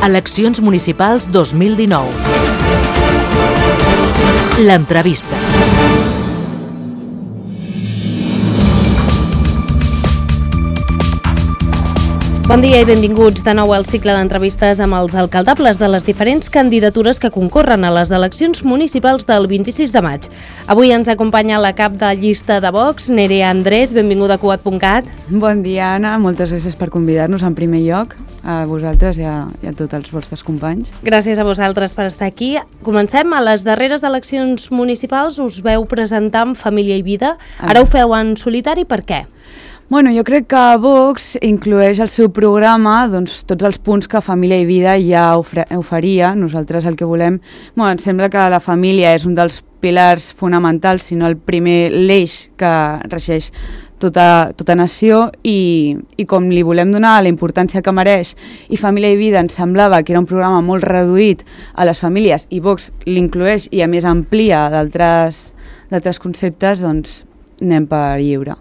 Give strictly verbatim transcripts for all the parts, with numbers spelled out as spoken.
Eleccions municipals dos mil dinou. L'entrevista. Bon dia i benvinguts de nou al cicle d'entrevistes amb els alcaldables de les diferents candidatures que concorren a les eleccions municipals del vint-i-sis de maig. Avui ens acompanya la cap de llista de Vox, Nerea Andrés, benvinguda a Cugat punt cat. Bon dia, Anna, moltes gràcies per convidar-nos en primer lloc, a vosaltres i a, i a tots els vostres companys. Gràcies a vosaltres per estar aquí. Comencem. A les darreres eleccions municipals us veu presentar amb Família i Vida. Ara ho feu en solitari, per què? Bueno, jo crec que Vox inclueix al seu programa doncs, tots els punts que Família i Vida ja oferia. Nosaltres el que volem... Bueno, em sembla que la família és un dels pilars fonamentals, sinó el primer l'eix que regeix tota, tota nació i, i com li volem donar la importància que mereix i Família i Vida ens semblava que era un programa molt reduït a les famílies i Vox l'inclueix i a més amplia d'altres d'altres conceptes, doncs anem per lliure.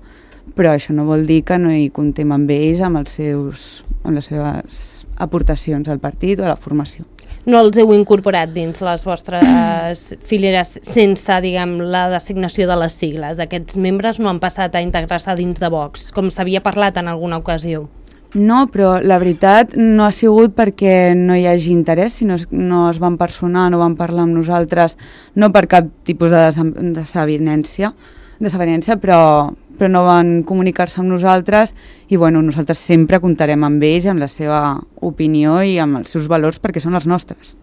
Però això no vol dir que no hi comptem amb ells, amb, els seus, amb les seves aportacions al partit o a la formació. No els heu incorporat dins les vostres fileres sense, diguem, la designació de les sigles. Aquests membres no han passat a integrar-se dins de Vox, com s'havia parlat en alguna ocasió. No, però la veritat no ha sigut perquè no hi hagi interès, sinó no es van personar, no van parlar amb nosaltres, no per cap tipus de desavinença, desavinença però... però no van comunicar-se amb nosaltres i bueno, nosaltres sempre comptarem amb ells, amb la seva opinió i amb els seus valors perquè són els nostres.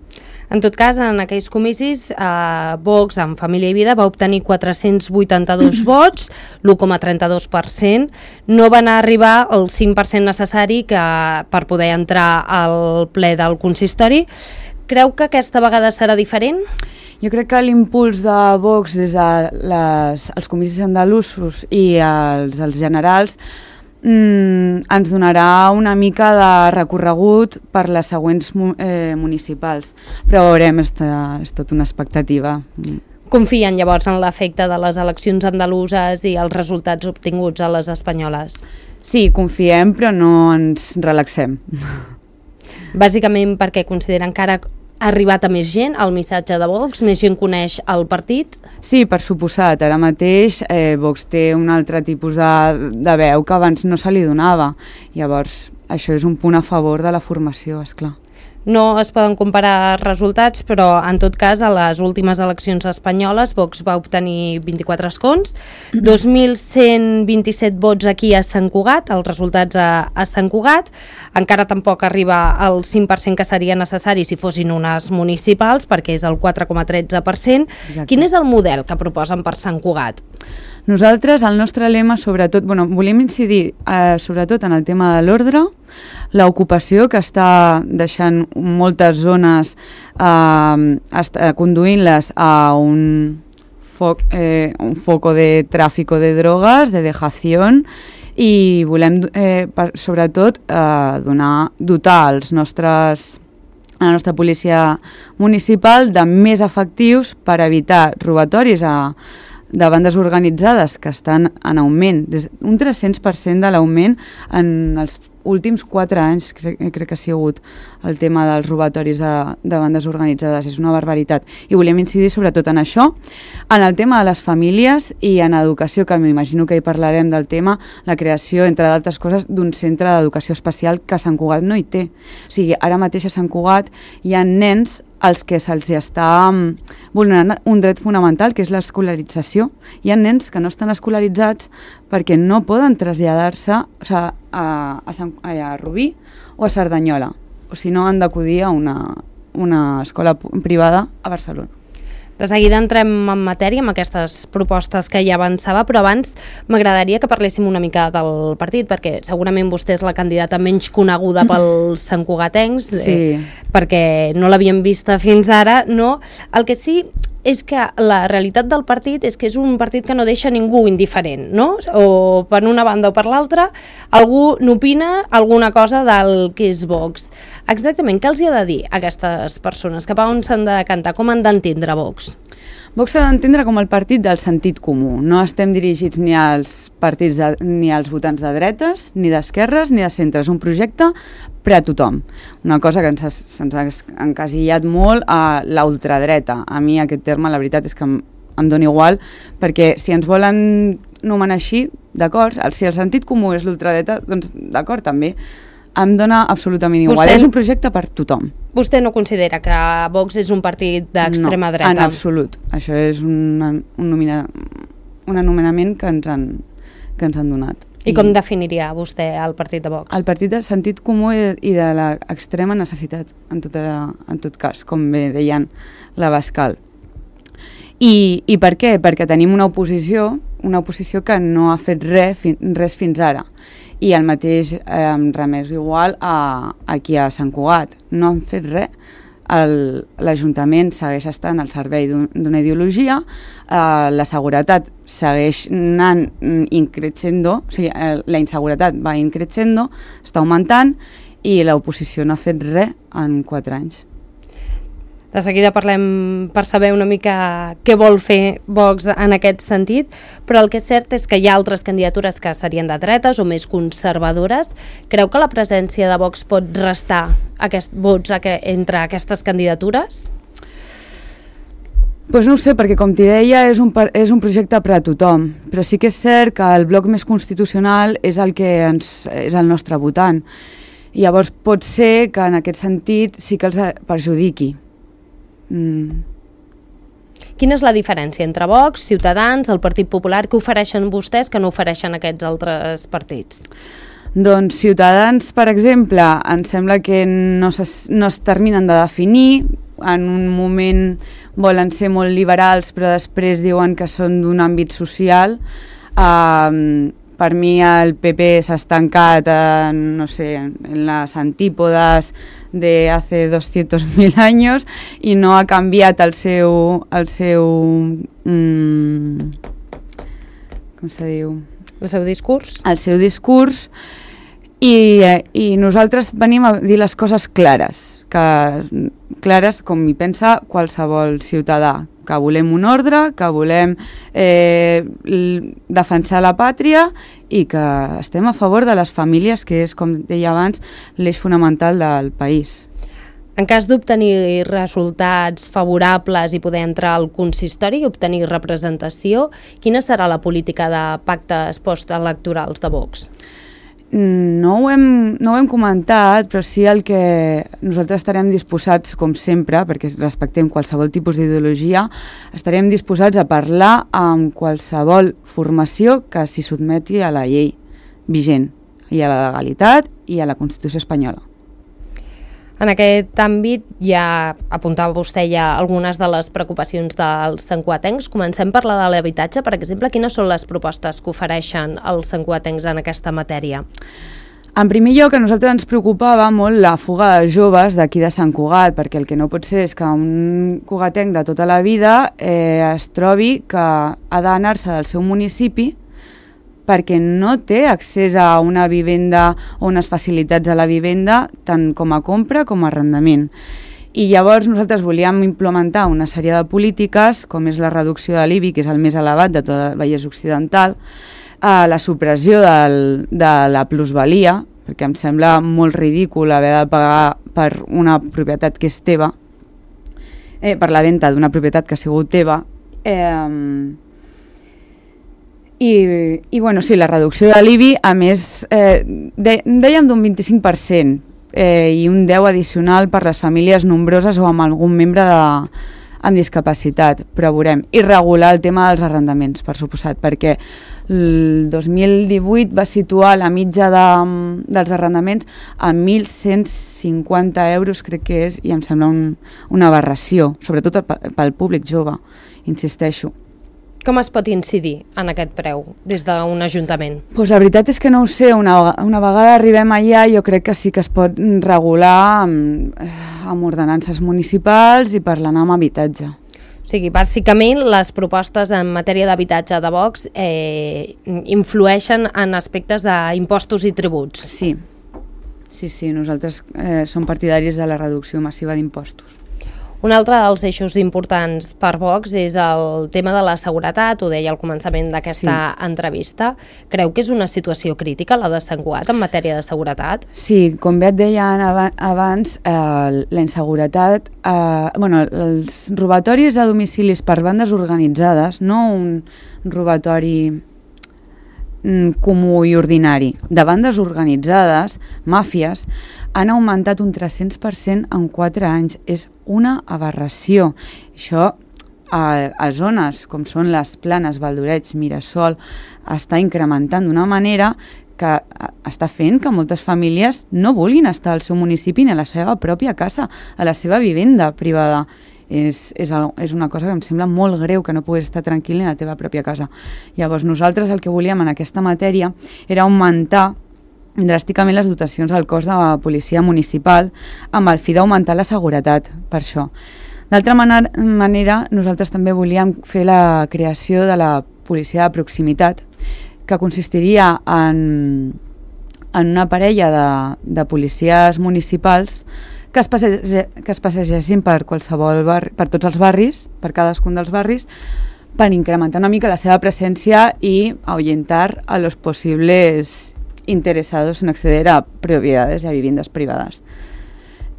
En tot cas, en aquells comicis, eh, Vox, amb Família i Vida, va obtenir quatre-cents vuitanta-dos vots, l'u coma trenta-dos per cent. No van arribar al cinc per cent necessari que, per poder entrar al ple del consistori. Creu que aquesta vegada serà diferent? Jo crec que l'impuls de Vox des dels comicis andalusos i els, els generals mmm, ens donarà una mica de recorregut per les següents eh, municipals, però veurem, és, és tot una expectativa. Confien llavors en l'efecte de les eleccions andaluses i els resultats obtinguts a les espanyoles? Sí, confiem, però no ens relaxem. Bàsicament perquè consideren que ara ha arribat a més gent el missatge de Vox, més gent coneix el partit? Sí, per suposat. Ara mateix eh, Vox té un altre tipus de, de veu que abans no se li donava. Llavors, això és un punt a favor de la formació, esclar. No es poden comparar resultats, però en tot cas a les últimes eleccions espanyoles Vox va obtenir vint-i-quatre escons, dos mil cent vint-i-set vots aquí a Sant Cugat, els resultats a, a Sant Cugat, encara tampoc arriba al cinc per cent que seria necessari si fossin unes municipals, perquè és el quatre coma tretze per cent. Exacte. Quin és el model que proposen per Sant Cugat? Nosaltres, el nostre lema, sobretot, bueno, volem incidir eh, sobretot en el tema de l'ordre, l'ocupació que està deixant moltes zones eh, conduint-les a un, foc, eh, un foco de tràfico de drogues, de dejación, i volem eh, per, sobretot eh, donar, dotar els nostres, la nostra policia municipal de més efectius per evitar robatoris a de bandes organitzades que estan en augment, un tres-cents per cent de l'augment en els últims quatre anys, crec, crec que ha sigut el tema dels robatoris de, de bandes organitzades, és una barbaritat. I volem incidir sobretot en això, en el tema de les famílies i en educació, que m'imagino que hi parlarem del tema, la creació, entre d'altres coses, d'un centre d'educació especial que a Sant Cugat no hi té. O sigui, ara mateix a Sant Cugat hi ha nens als que se'ls està vulnerant un dret fonamental, que és l'escolarització. Hi ha nens que no estan escolaritzats perquè no poden traslladar-se, o sigui, a, a, Sant, a Rubí o a Cerdanyola, o si no han d'acudir a una, una escola privada a Barcelona. De seguida entrem en matèria amb aquestes propostes que ja avançava, però abans m'agradaria que parléssim una mica del partit, perquè segurament vostè és la candidata menys coneguda pels santcugatencs, sí. eh, perquè no l'havíem vista fins ara, no? El que sí és que la realitat del partit és que és un partit que no deixa ningú indiferent, no? O per una banda o per l'altra, algú n'opina alguna cosa del que és Vox. Exactament, què els hi ha de dir a aquestes persones? Cap a on s'han de cantar? Com han d'entendre Vox? Vox s'ha d'entendre com el partit del sentit comú. No estem dirigits ni als partits de, ni als votants de dretes, ni d'esquerres, ni de centre. És un projecte per a tothom. Una cosa que ens, se'ns ha encasillat molt a l'ultradreta. A mi aquest terme, la veritat és que em, em dona igual, perquè si ens volen nomenar així, d'acord, si el sentit comú és l'ultradreta, doncs d'acord també. Em dona absolutament igual. Vostè, és un projecte per tothom. Vostè no considera que Vox és un partit d'extrema no, dreta? En absolut. Això és una, un, nomina, un anomenament que ens han, que ens han donat. I, I com definiria vostè el partit de Vox? El partit de sentit comú i de, i de l'extrema necessitat, en, tota, en tot cas, com bé deien l'Abascal. I, I per què? Perquè tenim una oposició, una oposició que no ha fet res, fi, res fins ara. I el mateix eh, em remés igual a, aquí a Sant Cugat. No han fet res. L'Ajuntament segueix estant al servei d'una ideologia, eh, la seguretat segueix anant increixendo, o sigui, eh, la inseguretat va increixendo, està augmentant, i l'oposició no ha fet res en quatre anys. De seguida parlem per saber una mica què vol fer Vox en aquest sentit, però el que és cert és que hi ha altres candidatures que serien de dretes o més conservadores. Creu que la presència de Vox pot restar aquest, vots entre aquestes candidatures? Pues no ho sé, perquè com t'hi deia és un, és un projecte per a tothom, però sí que és cert que el bloc més constitucional és el que ens, és el nostre votant. I llavors pot ser que en aquest sentit sí que els perjudiqui. Mm. Quina és la diferència entre Vox, Ciutadans, el Partit Popular? Què ofereixen vostès que no ofereixen aquests altres partits? Doncs Ciutadans, per exemple, em sembla que no, es, no es terminen de definir. En un moment volen ser molt liberals, però després diuen que són d'un àmbit social. Uh, per mi el P P s'ha estancat en, no sé, en les antípodes de hace doscientos mil años i no ha canviat el seu el seu mm, com se diu? El seu discurs? El seu discurs i, i nosaltres venim a dir les coses clares, que, clares com hi pensa qualsevol ciutadà, que volem un ordre, que volem eh, defensar la pàtria i que estem a favor de les famílies, que és, com deia abans, l'eix fonamental del país. En cas d'obtenir resultats favorables i poder entrar al consistori i obtenir representació, quina serà la política de pactes postelectorals de Vox? No ho, hem, no ho hem comentat, però sí el que nosaltres estarem disposats, com sempre, perquè respectem qualsevol tipus d'ideologia, estarem disposats a parlar amb qualsevol formació que s'hi sotmeti a la llei vigent, i a la legalitat i a la Constitució espanyola. En aquest àmbit ja apuntava vostè ja algunes de les preocupacions dels santcugatencs. Comencem per la de l'habitatge, per exemple. Quines són les propostes que ofereixen els santcugatencs en aquesta matèria? En primer lloc, a nosaltres ens preocupava molt la fuga de joves d'aquí de Sant Cugat, perquè el que no pot ser és que un cugatenc de tota la vida eh, es trobi que ha d'anar-se del seu municipi perquè no té accés a una vivenda o unes facilitats a la vivenda tant com a compra com a arrendament. I llavors nosaltres volíem implementar una sèrie de polítiques, com és la reducció de l'I B I, que és el més elevat de tot el Vallès Occidental, a la supressió del, de la plusvalia, perquè em sembla molt ridícul haver de pagar per una propietat que és teva, eh, per la venda d'una propietat que ha sigut teva, eh, I, i bueno, sí, la reducció de l'I B I, a més, eh, de, dèiem d'un vint-i-cinc per cent eh, i un deu addicional per les famílies nombroses o amb algun membre de, amb discapacitat, però veurem. I regular el tema dels arrendaments, per suposat, perquè el dos mil divuit va situar la mitja de, dels arrendaments a mil cent cinquanta euros, crec que és, i em sembla un, una aberració, sobretot pel públic jove, insisteixo. Com es pot incidir en aquest preu des d'un ajuntament? Pues la veritat és que no ho sé, una, una vegada arribem allà jo crec que sí que es pot regular amb, amb ordenances municipals i parlant amb habitatge. O sigui, bàsicament les propostes en matèria d'habitatge de Vox eh, influeixen en aspectes d'impostos i tributs. Sí, sí, sí, nosaltres eh, som partidaris de la reducció massiva d'impostos. Un altre dels eixos importants per Vox és el tema de la seguretat, ho deia al començament d'aquesta sí. entrevista. Creu que és una situació crítica la de Sant Cugat en matèria de seguretat? Sí, com bé et deia abans, eh, la inseguretat, eh, bueno, els robatoris a domicilis per bandes organitzades, no un robatori comú i ordinari, de bandes organitzades, màfies, han augmentat un tres-cents per cent en quatre anys. És una aberració. Això a, a zones com són les Planes, Valdoreig, Mirasol, està incrementant d'una manera que està fent que moltes famílies no vulguin estar al seu municipi ni a la seva pròpia casa, a la seva vivenda privada. És, és, és una cosa que em sembla molt greu, que no puguis estar tranquil ni a la teva pròpia casa. Llavors nosaltres el que volíem en aquesta matèria era augmentar dràsticament les dotacions al cos de la policia municipal amb el fi d'augmentar la seguretat, per això. D'altra manera, nosaltres també volíem fer la creació de la policia de proximitat, que consistiria en, en una parella de, de policies municipals que es, passege, que es passegessin per qualsevol barri, per tots els barris, per cadascun dels barris, per incrementar una mica la seva presència i ahuyentar a los posibles interesados en acceder a propiedades y a viviendas privadas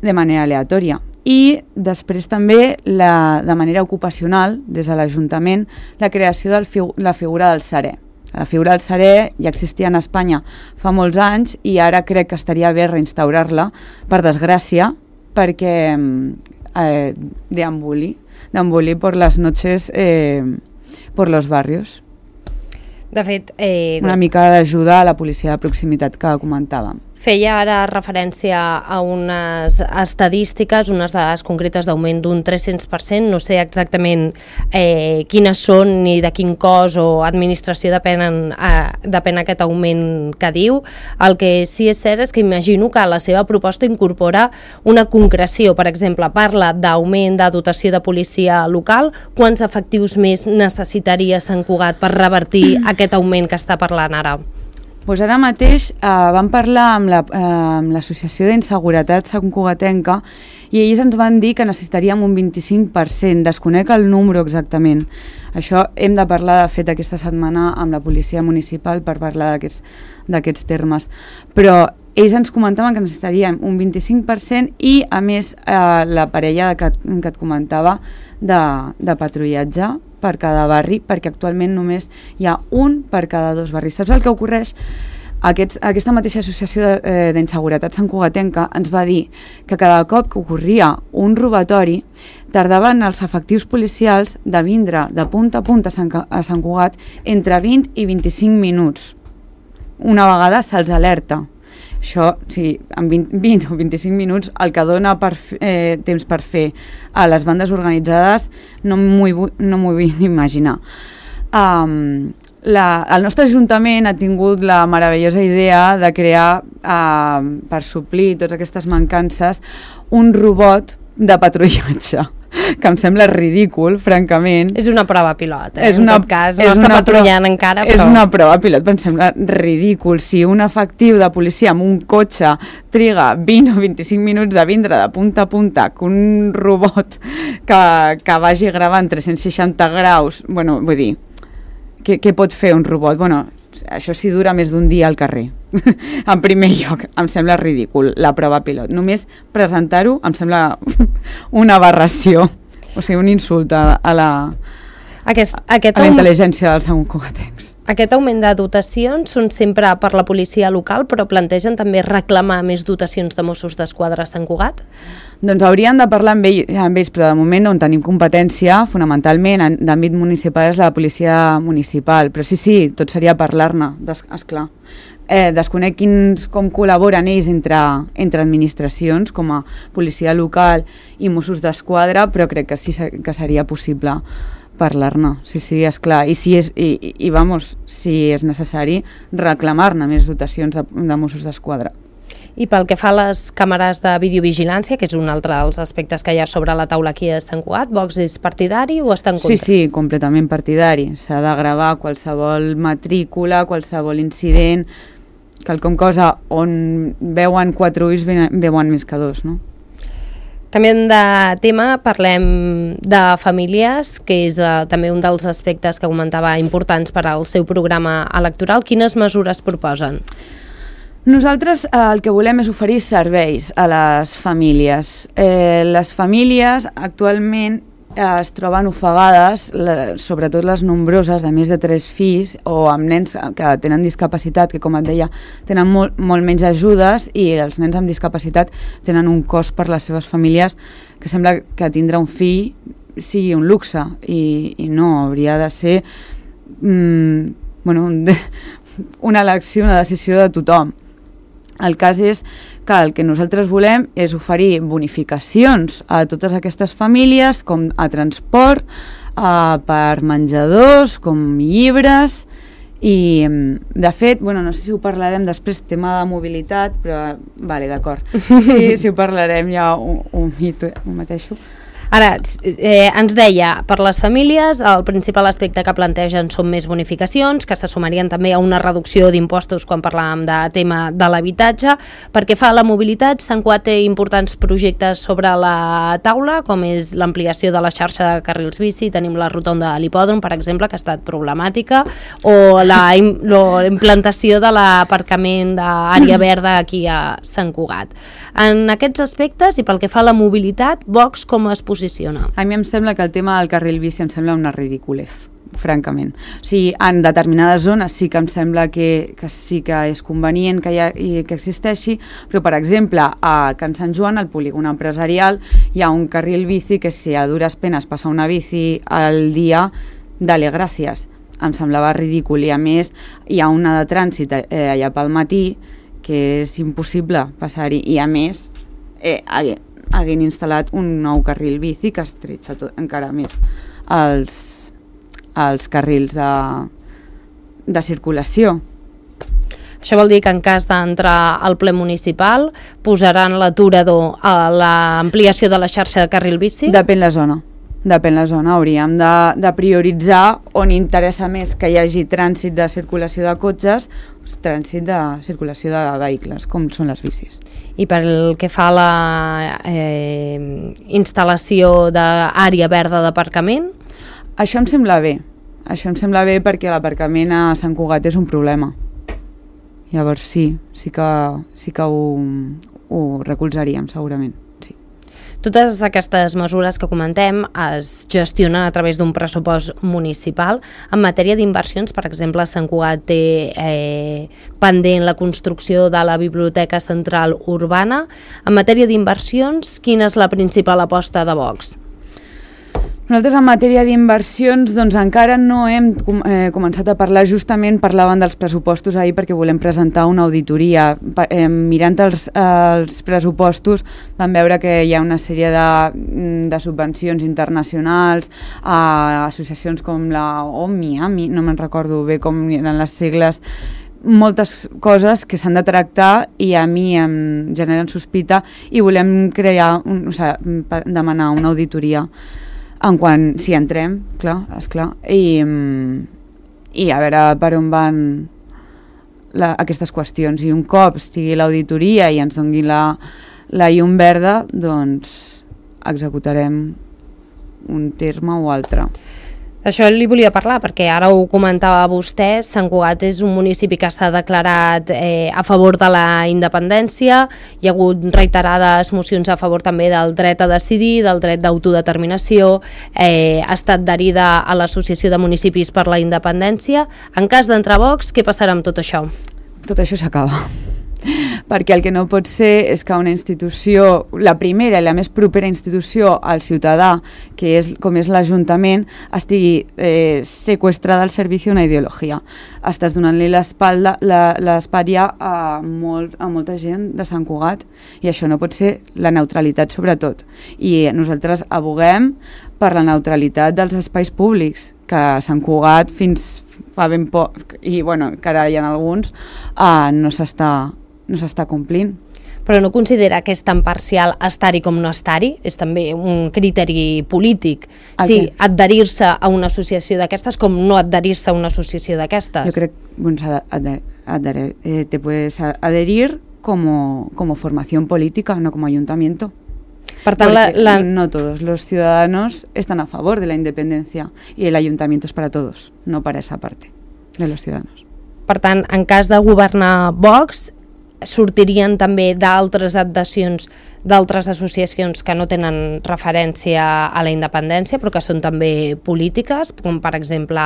de manera aleatòria. I després també, la, de manera ocupacional, des de l'Ajuntament, la creació de la figura del serè. La figura del serè ja existia en Espanya fa molts anys i ara crec que estaria bé reinstaurar-la, per desgràcia, perquè eh, deambuli, deambuli por las noches eh, por los barrios. De fet, eh, una mica d'ajuda a la policia de proximitat que comentàvem. Feia ara referència a unes estadístiques, unes dades concretes d'augment d'un tres-cents per cent, no sé exactament eh, quines són ni de quin cos o administració depenen, eh, depèn aquest augment que diu. El que sí és cert és que imagino que la seva proposta incorpora una concreció, per exemple, parla d'augment de dotació de policia local, quants efectius més necessitaria Sant Cugat per revertir aquest augment que està parlant ara? Pues ara mateix eh, vam parlar amb la, eh, amb l'Associació d'Inseguretat santcugatenca i ells ens van dir que necessitaríem un vint-i-cinc per cent, desconec el número exactament. Això hem de parlar, de fet, aquesta setmana amb la policia municipal per parlar d'aquests termes. Però ells ens comentaven que necessitaríem un vint-i-cinc per cent i, a més, eh, la parella que, que et comentava de, de patrullatge per cada barri, perquè actualment només hi ha un per cada dos barris. Saps el que ocorreix? Aquests, aquesta mateixa associació d'inseguretat santcugatenca ens va dir que cada cop que ocorria un robatori tardaven els efectius policials de vindre de punta a punta a Sant, a Sant Cugat entre vint i vint-i-cinc minuts. Una vegada se'ls alerta. Això, sí, en vint, vint o vint-i-cinc minuts, el que dona per, eh, temps per fer a les bandes organitzades no m'ho no m'ho vull imaginar. Um, la, el nostre Ajuntament ha tingut la meravellosa idea de crear, uh, per suplir totes aquestes mancances, un robot de patrullatge, que em sembla ridícul, francament. És una prova pilot, eh? És una, en tot cas, no està patrullant encara, però... És una prova pilot, però em sembla ridícul. Si un efectiu de policia amb un cotxe triga vint o vint-i-cinc minuts a vindre de punta a punta, que un robot que, que vagi gravant tres-cents seixanta graus, bueno, vull dir, què, què pot fer un robot? Bueno, això sí dura més d'un dia al carrer. En primer lloc, em sembla ridícul la prova pilot. Només presentar-ho em sembla una aberració, o sigui, un insult a, a la, aquest, aquest a la intel·ligència dels santcugatencs. Aquest augment de dotacions són sempre per la policia local, però plantegen també reclamar més dotacions de Mossos d'Esquadra a Sant Cugat? Doncs hauríem de parlar amb, ell, amb ells, però de moment on tenim competència, fonamentalment, d'àmbit municipal és la policia municipal. Però sí, sí, tot seria parlar-ne, esclar. Eh, desconec quins, com col·laboren ells entre, entre administracions, com a policia local i Mossos d'Esquadra, però crec que sí que seria possible parlar-ne, sí, sí, esclar. I, si és, i, i, i vamos, si és necessari, reclamar-ne més dotacions de, de Mossos d'Esquadra. I pel que fa a les càmeres de videovigilància, que és un altre dels aspectes que hi ha sobre la taula aquí a Sant Cugat, Vox és partidari o està en contra? Sí, sí, completament partidari. S'ha de gravar qualsevol matrícula, qualsevol incident, quelcom cosa on veuen quatre ulls veuen més que dos, no? Canviem de tema, parlem de famílies, que és uh, també un dels aspectes que comentava importants per al seu programa electoral. Quines mesures proposen? Nosaltres eh, el que volem és oferir serveis a les famílies. Eh, les famílies actualment es troben ofegades, sobretot les nombroses de més de tres fills o amb nens que tenen discapacitat, que com et deia tenen molt, molt menys ajudes, i els nens amb discapacitat tenen un cost per les seves famílies que sembla que tindre un fill sigui un luxe, i, i no, hauria de ser mm, bueno, un, una elecció, una decisió de tothom. El cas és que el que nosaltres volem és oferir bonificacions a totes aquestes famílies, com a transport, eh, per menjadors, com llibres, i de fet, bueno, no sé si ho parlarem després, tema de mobilitat, però vale, d'acord, sí, si ho parlarem ja ho, ho, ho mateixo. Ara, eh, ens deia, per les famílies, el principal aspecte que plantegen són més bonificacions, que se sumarien també a una reducció d'impostos quan parlàvem de tema de l'habitatge. Perquè fa la mobilitat, Sant Cugat té importants projectes sobre la taula, com és l'ampliació de la xarxa de carrils bici, tenim la rotonda de l'hipòdrom, per exemple, que ha estat problemàtica, o la, la implantació de l'aparcament d'àrea verda aquí a Sant Cugat. En aquests aspectes, i pel que fa a la mobilitat, Vox com es posiciona? A mi em sembla que el tema del carril bici em sembla una ridiculez, francament. O sigui, en determinades zones sí que em sembla que, que sí que és convenient que, hi ha, que existeixi, però, per exemple, a Can Sant Joan, al polígon empresarial, hi ha un carril bici que, si a dures penes passa una bici al dia, dale gràcies. Em semblava ridícul, i a més hi ha una de trànsit eh, allà pel matí que és impossible passar-hi, i a més eh, haguin instal·lat un nou carril bici que estretxa tot, encara més els, els carrils de, de circulació. Això vol dir que en cas d'entrar al ple municipal posaran l'aturador a l'ampliació de la xarxa de carril bici? Depèn la zona. Depèn la zona, hauríem de, de prioritzar on interessa més que hi hagi trànsit de circulació de cotxes, trànsit de circulació de vehicles, com són les bicis. I pel que fa a la eh, instal·lació d'àrea verda d'aparcament? Això em sembla bé. Això em sembla bé perquè l'aparcament a Sant Cugat és un problema. Llavors sí, sí que, sí que ho, ho recolzaríem segurament. Totes aquestes mesures que comentem es gestionen a través d'un pressupost municipal. En matèria d'inversions, per exemple, Sant Cugat té eh, pendent la construcció de la Biblioteca Central Urbana. En matèria d'inversions, quina és la principal aposta de Vox? Nosaltres en matèria d'inversions doncs encara no hem com, eh, començat a parlar, justament parlaven dels pressupostos ahir perquè volem presentar una auditoria. Pa, eh, mirant els, eh, els pressupostos vam veure que hi ha una sèrie de, de subvencions internacionals a associacions com la OMI, no me'n recordo bé com eren les sigles, moltes coses que s'han de tractar i a mi em generen sospita i volem crear, un, o sigui, demanar una auditoria en quan, si entrem, clar, esclar, i, i a veure per on van la, aquestes qüestions. I un cop estigui l'auditoria i ens doni la, la llum verda, doncs executarem un terme o altre. Això li volia parlar, perquè ara ho comentava vostè, Sant Cugat és un municipi que s'ha declarat eh, a favor de la independència, hi ha hagut reiterades mocions a favor també del dret a decidir, del dret d'autodeterminació, eh, ha estat adherida a l'Associació de Municipis per la Independència. En cas d'entrar a Vox, què passarà amb tot això? Tot això s'acaba. Perquè el que no pot ser és que una institució, la primera i la més propera institució al ciutadà, que és com és l'Ajuntament, estigui eh, seqüestrada al servici d'una ideologia. Estàs donant-li l'espatlla a, molt, a molta gent de Sant Cugat, i això no pot ser, la neutralitat sobretot. I nosaltres aboguem per la neutralitat dels espais públics, que a Sant Cugat fins fa ben poc, i bueno, que ara hi ha alguns, eh, no s'està no s'està complint. Però no considera que és tan parcial estar-hi com no estar-hi? És també un criteri polític. Sí, adherir-se a una associació d'aquestes com no adherir-se a una associació d'aquestes. Jo crec que bueno, eh, te puedes adherir como, como formación política, no como ayuntamiento. Per tant, la, la... no todos los ciudadanos están a favor de la independencia y el ayuntamiento es para todos, no para esa parte de los ciudadanos. Per tant, en cas de governar Vox, sortirien també d'altres adhesions d'altres associacions que no tenen referència a la independència, però que són també polítiques, com per exemple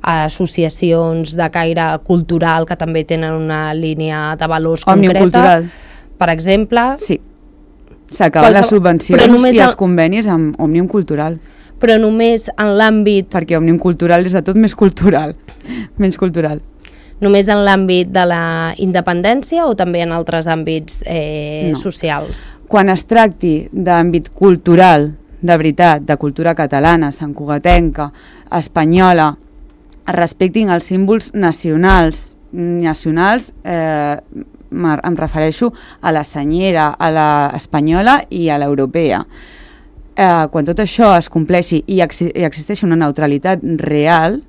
associacions de caire cultural que també tenen una línia de valors Òmnium concreta. Cultural. Per exemple... Sí, s'acaben Qualsevol... les subvencions i els el... convenis amb Òmnium Cultural. Però només en l'àmbit... Perquè Òmnium Cultural és de tot més cultural, menys cultural. Només en l'àmbit de la independència o també en altres àmbits eh, no. socials? Quan es tracti d'àmbit cultural, de veritat, de cultura catalana, santcugatenca, espanyola, es respectin els símbols nacionals, nacionals eh, em refereixo a la senyera, a la espanyola i a l'europea. Eh, quan tot això es compleixi i, ex i existeixi una neutralitat real,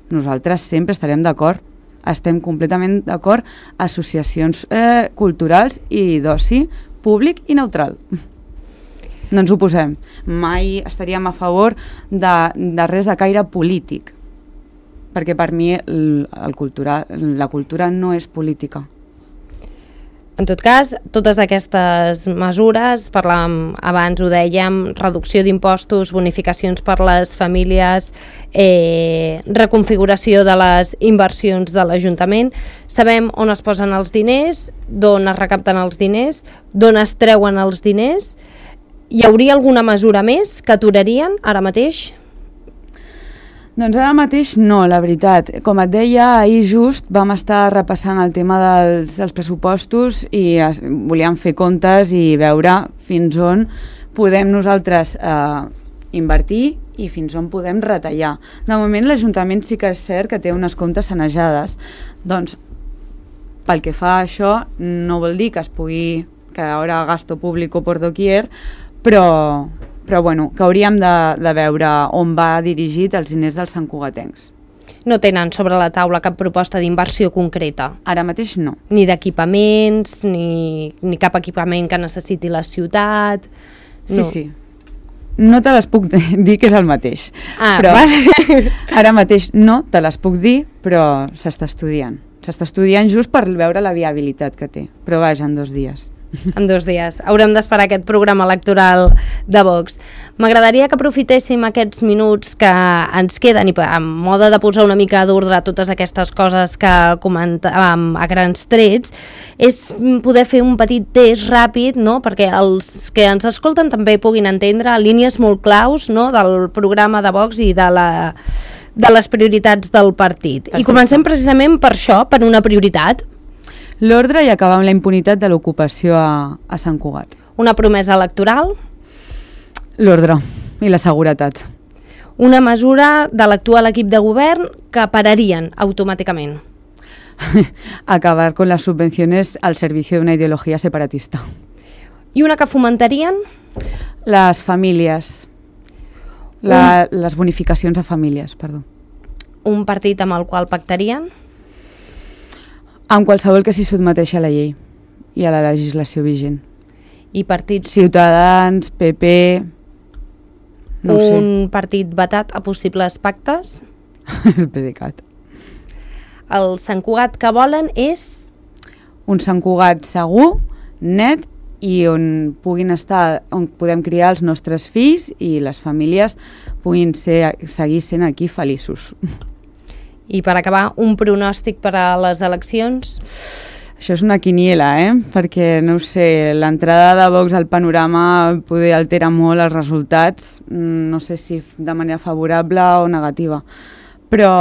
nosaltres sempre estarem d'acord. Estem completament d'acord, associacions eh, culturals i d'oci públic i neutral. No ens oposem. Mai estaríem a favor de, de res de caire polític, perquè per mi el, el cultura, la cultura no és política. En tot cas, totes aquestes mesures, parlàvem abans, ho dèiem, reducció d'impostos, bonificacions per les famílies, eh, reconfiguració de les inversions de l'Ajuntament, sabem on es posen els diners, d'on es recapten els diners, d'on es treuen els diners. Hi hauria alguna mesura més que aturarien ara mateix? Doncs ara mateix no, la veritat. Com et deia, ahir just vam estar repassant el tema dels, dels pressupostos i es, volíem fer comptes i veure fins on podem nosaltres eh, invertir i fins on podem retallar. De moment l'Ajuntament sí que és cert que té unes comptes sanejades. Doncs pel que fa a això no vol dir que es pugui, que ara gasto público por doquier, però... però bueno, que hauríem de, de veure on va dirigit els diners dels santcugatencs. No tenen sobre la taula cap proposta d'inversió concreta? Ara mateix no. Ni d'equipaments, ni, ni cap equipament que necessiti la ciutat? Sí, no. sí. No te les puc dir que és el mateix. Ah, però vale. Ara mateix no te les puc dir, però s'està estudiant. S'està estudiant just per veure la viabilitat que té. Però vaja, en dos dies. En dos dies. Haurem d'esperar aquest programa electoral de Vox. M'agradaria que aprofitéssim aquests minuts que ens queden i en mode de posar una mica d'ordre a totes aquestes coses que comentàvem a grans trets, és poder fer un petit test ràpid, no? Perquè els que ens escolten també puguin entendre línies molt claus, no? Del programa de Vox i de la... de les prioritats del partit. Perfecte. I comencem precisament per això, per una prioritat. L'ordre i acabar amb la impunitat de l'ocupació a, a Sant Cugat. Una promesa electoral? L'ordre i la seguretat. Una mesura de l'actual equip de govern que pararien automàticament? Acabar con las subvenciones al servicio de una ideología separatista. I una que fomentarien? Les famílies. La, Un... Les bonificacions a famílies, perdó. Un partit amb el qual pactarien? Amb qualsevol que s'hi sotmeteixi a la llei i a la legislació vigent. I partits... Ciutadans, P P... No un sé. partit vetat a possibles pactes? El PDeCAT. El Sant Cugat que volen és... Un Sant Cugat segur, net, i on puguin estar, on podem criar els nostres fills i les famílies puguin ser, seguir sent aquí feliços. I per acabar, un pronòstic per a les eleccions? Això és una quiniela, eh? Perquè, no ho sé, l'entrada de Vox al panorama poder altera molt els resultats, no sé si de manera favorable o negativa, però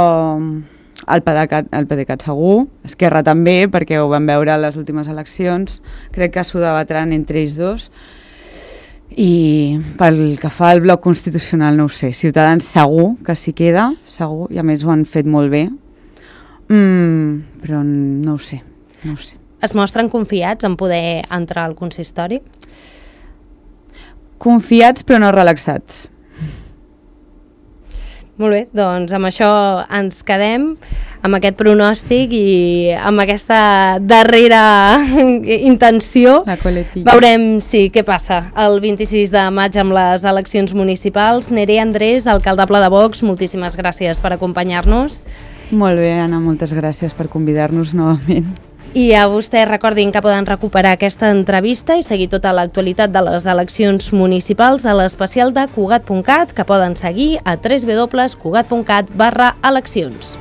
el PDeCAT, el PDeCAT segur, Esquerra també, perquè ho vam veure a les últimes eleccions, crec que s'ho debatran entre ells dos, i pel que fa al bloc constitucional no ho sé, Ciutadans segur que s'hi queda, segur, i a més ho han fet molt bé, mm, però no ho sé, no ho sé. Es mostren confiats en poder entrar al consistori? Confiats però no relaxats. Molt bé, doncs amb això ens quedem, amb aquest pronòstic i amb aquesta darrera intenció. La coletilla. Veurem sí, què passa el vint-i-sis de maig amb les eleccions municipals. Nerea Andrés, alcaldable de Vox, moltíssimes gràcies per acompanyar-nos. Molt bé, Anna, moltes gràcies per convidar-nos novament. I a vostès recordin que poden recuperar aquesta entrevista i seguir tota l'actualitat de les eleccions municipals a l'especial de Cugat punt cat, que poden seguir a w w w punt cugat punt cat barra eleccions.